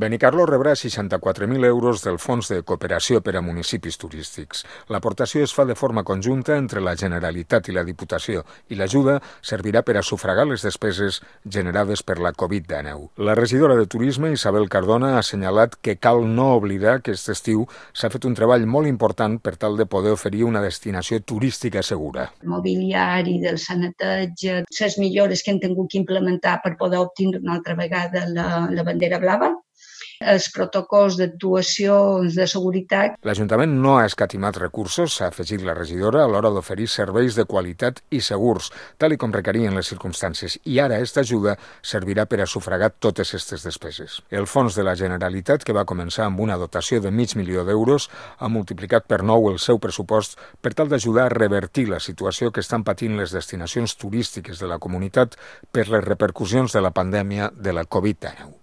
Benicarló rebrà 64.000 euros del Fons de Cooperació per a Municipis Turístics. L'aportació es fa de forma conjunta entre la Generalitat i la Diputació i l'ajuda servirà per a sufragar les despeses generades per la Covid-19. La regidora de Turisme, Isabel Cardona, ha assenyalat que cal no oblidar que aquest estiu s'ha fet un treball molt important per tal de poder oferir una destinació turística segura. El mobiliari, del saneteig, les millores que hem tingut que implementar per poder obtenir una altra vegada la bandera blava, els protocols d'actuació de seguretat. L'Ajuntament no ha escatimat recursos, s'ha afegit la regidora, a l'hora d'oferir serveis de qualitat i segurs, tal com requerien les circumstàncies, i ara aquesta ajuda servirà per a sufragar totes aquestes despeses. El fons de la Generalitat, que va començar amb una dotació de $500.000, ha multiplicat per 9 el seu pressupost per tal d'ajudar a revertir la situació que estan patint les destinacions turístiques de la comunitat per les repercussions de la pandèmia de la Covid-19.